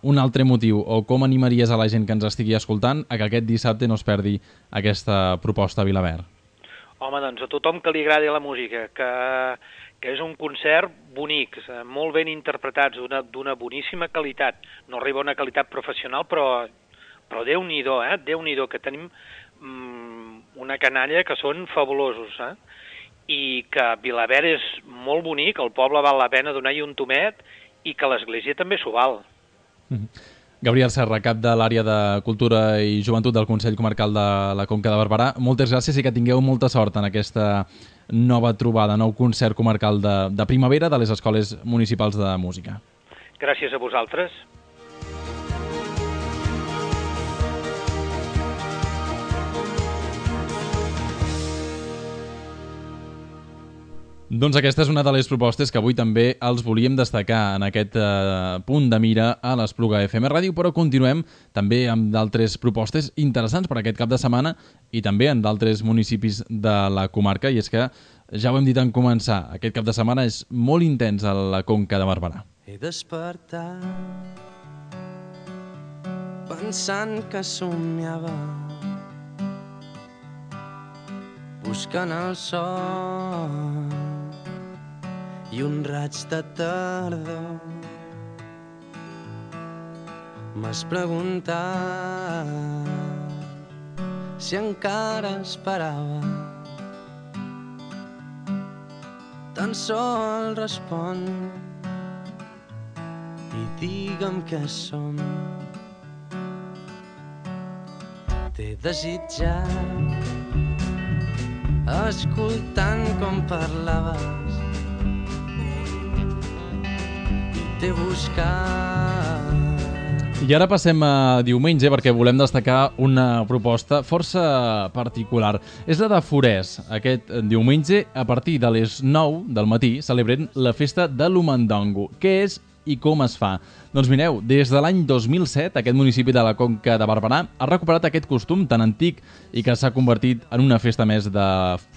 un altre motiu, o com animaries a la gent que ens estigui escoltant a que aquest dissabte no es perdi aquesta proposta a Vilaverd? Home, doncs a tothom que li agradi la música, que és un concert bonic, molt ben interpretats, d'una boníssima qualitat. No arriba a una qualitat professional, però Déu-n'hi-do, Déu-n'hi-do, que tenim una canalla que són fabulosos, i que Vilaverd és molt bonic, el poble val la pena donar-hi un tomet, i que l'església també s'ho val. Gabriel Serra, cap de l'àrea de Cultura i Joventut del Consell Comarcal de la Conca de Barberà, moltes gràcies i que tingueu molta sort en aquesta nova trobada, nou concert comarcal de primavera de les escoles municipals de música. Gràcies a vosaltres. Doncs aquesta és una de les propostes que avui també els volíem destacar en aquest punt de mira a l'Espluga FM Ràdio, però continuem també amb d'altres propostes interessants per aquest cap de setmana i també en d'altres municipis de la comarca, i és que ja ho hem dit en començar, aquest cap de setmana és molt intens a la Conca de Barberà. He despertat pensant que somiava, buscant el sol i un raig de tardor. M'has preguntat si encara esperava. Tan sol respon i digue'm què som. T'he desitjat escoltant com parlaves i t'he buscat. I ara passem a diumenge perquè volem destacar una proposta força particular. És la de Forès. Aquest diumenge, a partir de les 9 del matí, celebrem la festa de l'Umandongo. Què és i com es fa? Doncs mireu, des de l'any 2007, aquest municipi de la Conca de Barberà ha recuperat aquest costum tan antic i que s'ha convertit en una festa més de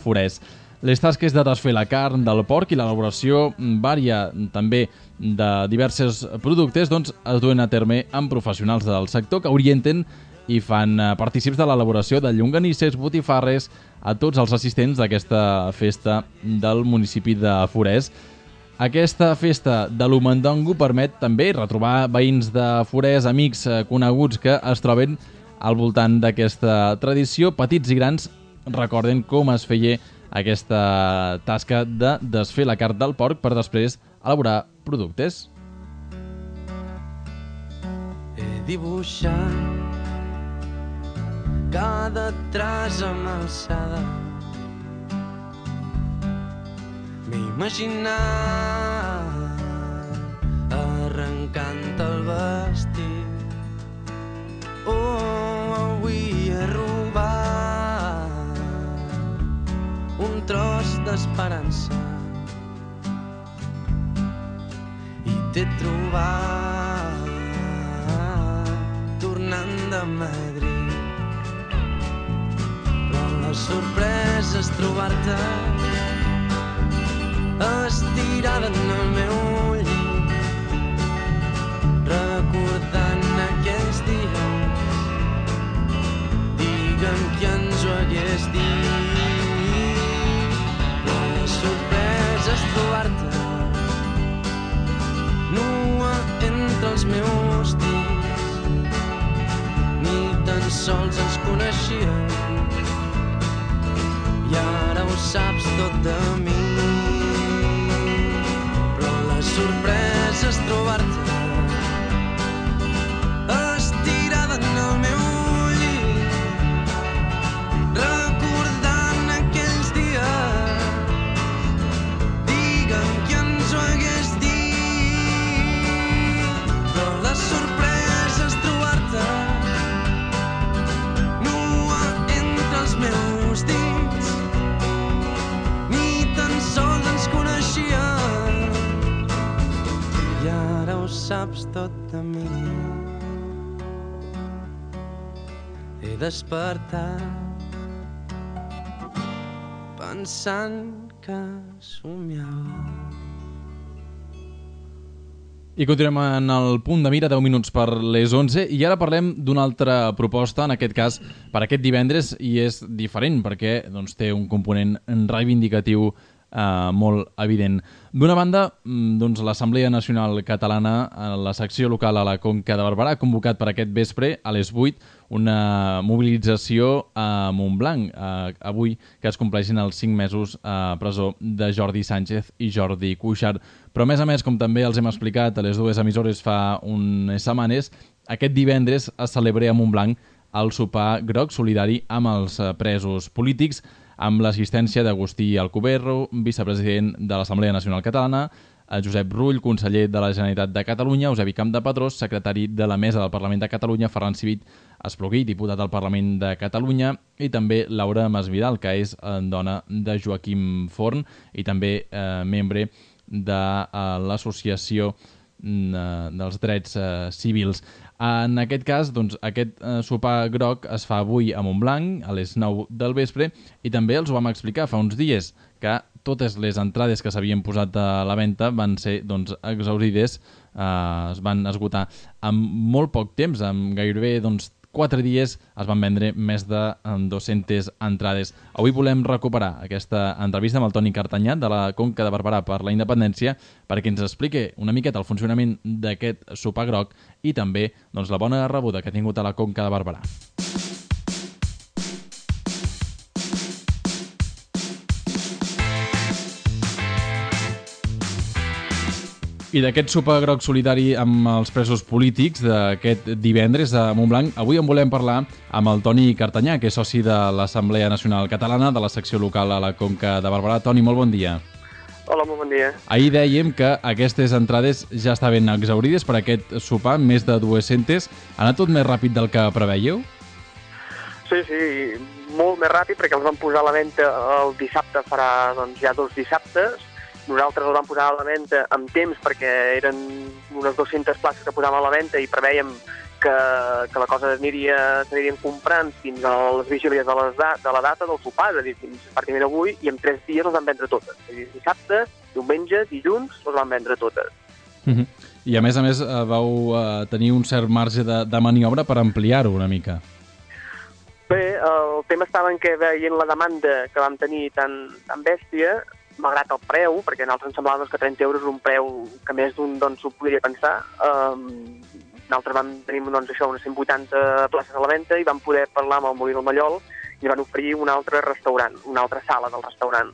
Forès. Les tasques de desfer la carn del porc i l'elaboració vària també de diversos productes doncs, es duen a terme amb professionals del sector que orienten i fan partícips de l'elaboració de llonganisses, botifarres a tots els assistents d'aquesta festa del municipi de Forès. Aquesta festa de l'Umandongo permet també retrobar veïns de Forès, amics coneguts que es troben al voltant d'aquesta tradició. Petits i grans recorden com es feia aquesta tasca de desfer la carn del porc per després elaborar productes. He dibuixat cada traç amb alçada. M'he imaginat arrencant el vestit. Avui he robat un tros d'esperança i t'he trobat tornant de Madrid. Però la sorpresa és trobar-te estirada en el meu llit, recordant aquells dies. Digue'm qui ens ho hagués dit. Però la sorpresa és trobar-te nua entre els meus dits. Ni tan sols ens coneixíem i ara ho saps tot de mi. Però la sorpresa és trobar-te estirada en el meu llit, recordant aquells dies. Digue'm qui ens ho hagués dit. Però la sorpresa és trobar-te nua entre els meus dits. Ni tan sols ens coneixíem i ara ho saps tot de mi. He despertat pensant que somiava. I continuem en el punt de mira, 10 minuts per les 11, i ara parlem d'una altra proposta, en aquest cas per aquest divendres, i és diferent perquè doncs, té un component reivindicatiu molt evident. D'una banda, doncs, l'Assemblea Nacional Catalana, la secció local a la Conca de Barberà, ha convocat per aquest vespre a les 8 una mobilització a Montblanc, avui que es compleixin els 5 mesos a presó de Jordi Sánchez i Jordi Cuixart. Però a més, com també els hem explicat a les dues emissores fa unes setmanes, aquest divendres es celebra a Montblanc el sopar groc solidari amb els presos polítics, amb l'assistència d'Agustí Alcoberro, vicepresident de l'Assemblea Nacional Catalana, Josep Rull, conseller de la Generalitat de Catalunya, Eusebi Campdepadrós, secretari de la Mesa del Parlament de Catalunya, Ferran Civit Espluguí, diputat al Parlament de Catalunya, i també Laura Masvidal, que és dona de Joaquim Forn i també membre de l'Associació dels Drets Civils. En aquest cas, doncs, aquest sopar groc es fa avui a Montblanc, a les 9 del vespre, i també els ho vam explicar fa uns dies, que totes les entrades que s'havien posat a la venda van ser doncs, exhaurides, es van esgotar en molt poc temps, en gairebé 4 dies es van vendre més de 200 entrades. Avui volem recuperar aquesta entrevista amb el Toni Cartanyà de la Conca de Barberà per la Independència perquè ens expliqui una miqueta el funcionament d'aquest sopar groc i també doncs, la bona rebuda que ha tingut a la Conca de Barberà. I d'aquest sopar groc solidari amb els presos polítics d'aquest divendres a Montblanc, avui en volem parlar amb el Toni Cartanyà, que és soci de l'Assemblea Nacional Catalana de la secció local a la Conca de Barberà. Toni, molt bon dia. Hola, molt bon dia. Ahir dèiem que aquestes entrades ja estaven exaurides per aquest sopar, més de 200. Ha anat tot més ràpid del que preveieu? Sí, molt més ràpid, perquè els vam posar a la venda el dissabte, farà ja 2 dissabtes. Nosaltres els vam posar a la venda amb temps perquè eren unes 200 places que posàvem a la venda i prevèiem que la cosa s'anirien comprant fins a les vigílies de la data del sopar, és a dir, fins pràcticament avui, i en 3 dies les vam vendre totes. És a dir, dissabte, diumenge, dilluns, les vam vendre totes. I a més vau tenir un cert marge de maniobra per ampliar-ho una mica. Bé, el tema estava en què veient la demanda que vam tenir tan bèstia, malgrat el preu, perquè a nosaltres ens semblava que 30 euros és un preu que més d'un s'ho podria pensar. Nosaltres vam tenir unes 180 places a la venda i vam poder parlar amb el Molí del Mallol i van oferir un altre restaurant, una altra sala del restaurant,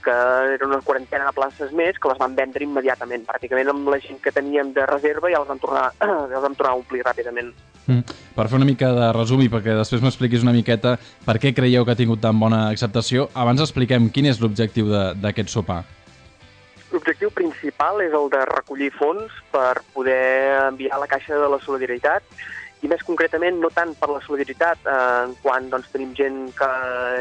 que eren una 40 de places més que les van vendre immediatament. Pràcticament amb la gent que teníem de reserva ja els vam tornar a omplir ràpidament. Per fer una mica de resum i perquè després m'expliquis una miqueta per què creieu que ha tingut tan bona acceptació, abans expliquem quin és l'objectiu d'aquest sopar. L'objectiu principal és el de recollir fons per poder enviar a la Caixa de la Solidaritat i més concretament no tant per la solidaritat quan tenim gent que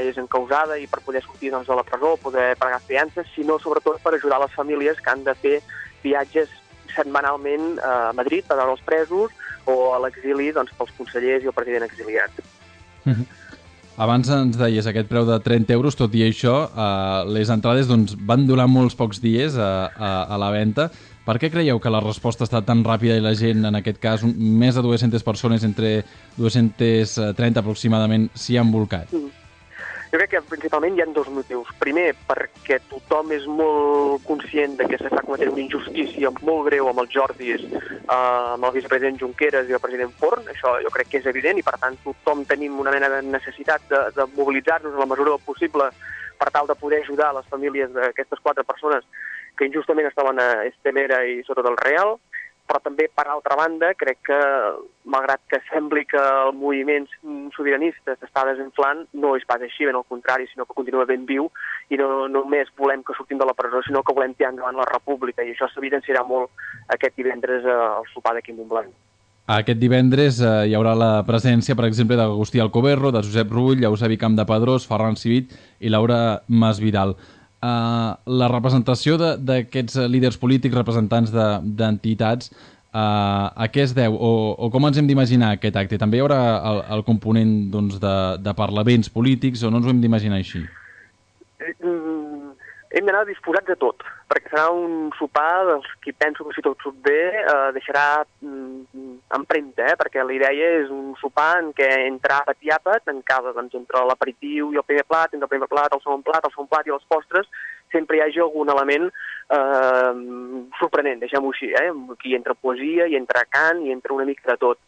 és encausada i per poder sortir de la presó, poder pagar fiances, sinó sobretot per ajudar les famílies que han de fer viatges setmanalment a Madrid per veure els presos o a l'exili pels consellers i el president exiliat. Abans ens deies aquest preu de 30 euros, tot i això, les entrades van durar molts pocs dies a la venda. Per què creieu que la resposta ha estat tan ràpida i la gent, en aquest cas, més de 200 persones, entre 230 aproximadament, s'hi han volcat? Jo crec que principalment hi ha 2 motius. Primer, perquè tothom és molt conscient de que s'està cometent una injustícia molt greu amb els Jordis, amb el vicepresident Junqueras i el president Forn. Això jo crec que és evident i, per tant, tothom tenim una mena de necessitat de mobilitzar-nos en la mesura del possible per tal de poder ajudar les famílies d'aquestes 4 persones que injustament estaven a Estemera i sota del Real. Però també, per altra banda, crec que, malgrat que sembli que el moviment sobiranista s'està desinflant, no és pas així, ben al contrari, sinó que continua ben viu i no només volem que sortim de la presó, sinó que volem tirar endavant la república, i això s'evidenciarà molt aquest divendres al sopar d'aquí a Montblanc. Aquest divendres hi haurà la presència, per exemple, d'Agustí Alcoberro, de Josep Rull, Eusebi Campdepadrós, Ferran Civit i Laura Masvidal. La representació d'aquests líders polítics, representants d'entitats, a què es deu o com ens hem d'imaginar aquest acte? També hi haurà el component de parlaments polítics o no ens ho hem d'imaginar així? Hem d'anar disposats a tot, perquè serà un sopar dels qui penso que si tot surt bé deixarà empremta, perquè la idea és un sopar en què entre àpat i àpat, entre l'aperitiu i el primer plat, entre el primer plat, el segon plat i els postres, sempre hi hagi algun element sorprenent, deixem-ho així, aquí entra poesia, hi entra cant, hi entra una mica de tot.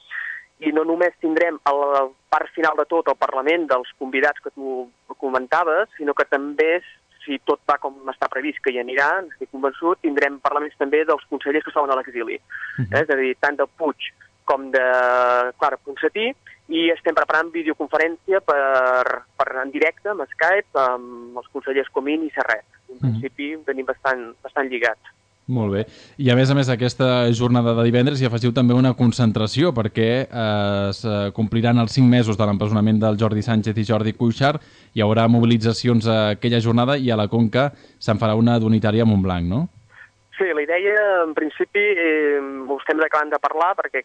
I no només tindrem a la part final de tot el Parlament dels convidats que tu comentaves, sinó que també, si tot va com està previst que hi anirà, estic convençut, tindrem parlaments també dels consellers que estaven a l'exili. És a dir, tant de Puig com de Clara Ponsatí, i estem preparant videoconferència en directe, amb Skype, amb els consellers Comín i Serret. En principi tenim bastant lligats. Molt bé. I a més, aquesta jornada de divendres hi afegiu també una concentració perquè es compliran els 5 mesos de l'empresonament del Jordi Sánchez i Jordi Cuixart. Hi haurà mobilitzacions aquella jornada i a la Conca se'n farà una d'unitària a Montblanc, no? Sí, la idea, en principi, ho estem acabant de parlar perquè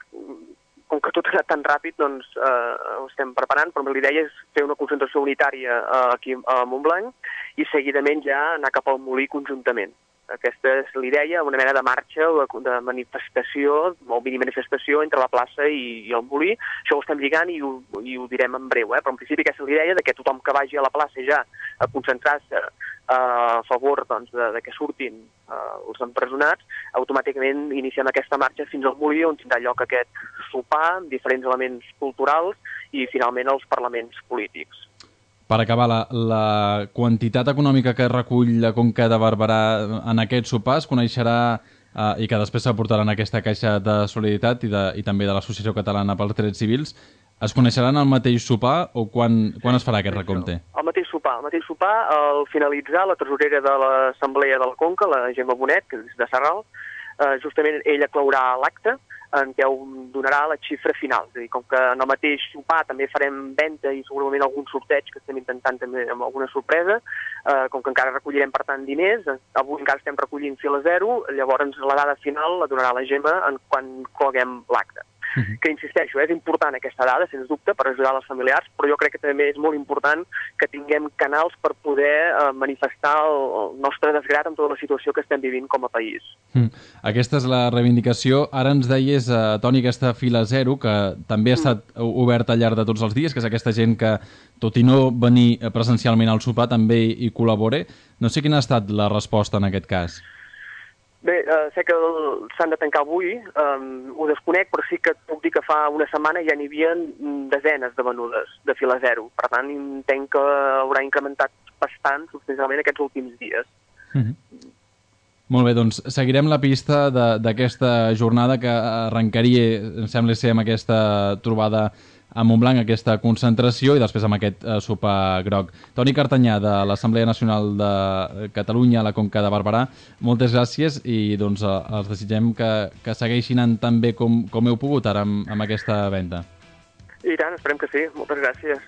com que tot ha anat tan ràpid, ho estem preparant, però la idea és fer una concentració unitària aquí a Montblanc i seguidament ja anar cap al Molí conjuntament. Aquesta és l'idea, una mena de marxa o de manifestació, o mini-manifestació entre la plaça i el Molí. Això ho estem lligant i ho direm en breu, però en principi aquesta és l'idea de que tothom que vagi a la plaça ja a concentrar-se a favor de que surtin els empresonats, automàticament iniciem aquesta marxa fins al Molí, on tindrà lloc aquest sopar amb diferents elements culturals i finalment els parlaments polítics. Per acabar, la quantitat econòmica que recull la Conca de Barberà en aquest sopar es coneixerà i que després s'aportaran a aquesta caixa de solidaritat i també de l'Associació Catalana pels Drets Civils, es coneixeran al mateix sopar o quan es farà aquest recompte? Al mateix sopar, al finalitzar, la tresorera de l'Assemblea de la Conca, la Gemma Bonet, que és de Sarral, justament ella claurà l'acte en què donarà la xifra final. És a dir, com que en el mateix sopar també farem venda i segurament algun sorteig que estem intentant també amb alguna sorpresa, com que encara recollirem per tant diners, avui encara estem recollint fil a zero, llavors la dada final la donarà la Gemma quan coguem l'acte. Que insisteixo, és important aquesta dada, sens dubte, per ajudar les familiars, però jo crec que també és molt important que tinguem canals per poder manifestar el nostre desgrat amb tota la situació que estem vivint com a país. Aquesta és la reivindicació. Ara ens deies, Toni, aquesta fila zero, que també ha estat oberta al llarg de tots els dies, que és aquesta gent que, tot i no venir presencialment al sopar, també hi col·labora. No sé quina ha estat la resposta en aquest cas. Bé, sé que s'han de tancar avui, ho desconec, però sí que puc dir que fa una setmana ja n'hi havia desenes de venudes de fila zero. Per tant, entenc que haurà incrementat bastant substancialment aquests últims dies. Molt bé, doncs seguirem la pista d'aquesta jornada que arrencaria, em sembla ser, amb aquesta trobada a Montblanc, aquesta concentració, i després amb aquest sopar groc. Toni Cartanyà, de l'Assemblea Nacional de Catalunya a la Conca de Barberà, moltes gràcies i doncs els desitgem que segueixin anant tan bé com heu pogut ara amb aquesta venda. I tant, esperem que sí. Moltes gràcies.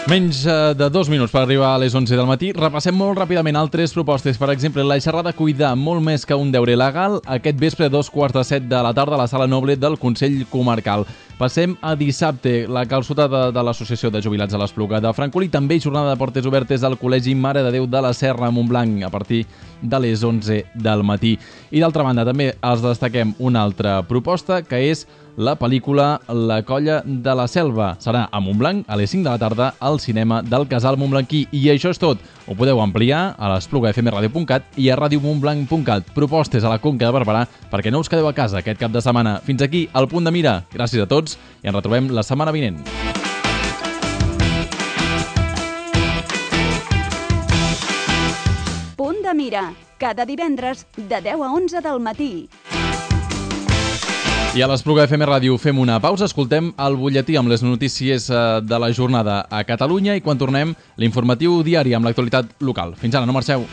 Menys de 2 minuts per arribar a les 11 del matí. Repassem molt ràpidament altres propostes. Per exemple, la xerrada Cuidar, molt més que un deure legal, aquest vespre a 2:45 de la tarda a la Sala Noble del Consell Comarcal. Passem a dissabte, la calçotada de l'Associació de Jubilats a l'Espluga de Francolí, també jornada de portes obertes al Col·legi Mare de Déu de la Serra a Montblanc a partir de les 11 del matí. I d'altra banda, també els destaquem una altra proposta, que és la pel·lícula La colla de la selva. Serà a Montblanc a les 5 de la tarda al cinema del Casal Montblanquí. I això és tot. Ho podeu ampliar a l'espluga.fmradio.cat i a radiomontblanc.cat. Propostes a la Conca de Barberà perquè no us quedeu a casa aquest cap de setmana. Fins aquí el Punt de Mira. Gràcies a tots i ens retrobem la setmana vinent. Punt de Mira, cada divendres de 10 a 11 del matí. I a l'Espluga FM Ràdio fem una pausa, escoltem el butlletí amb les notícies de la jornada a Catalunya i quan tornem l'informatiu diari amb l'actualitat local. Fins ara, no marxeu.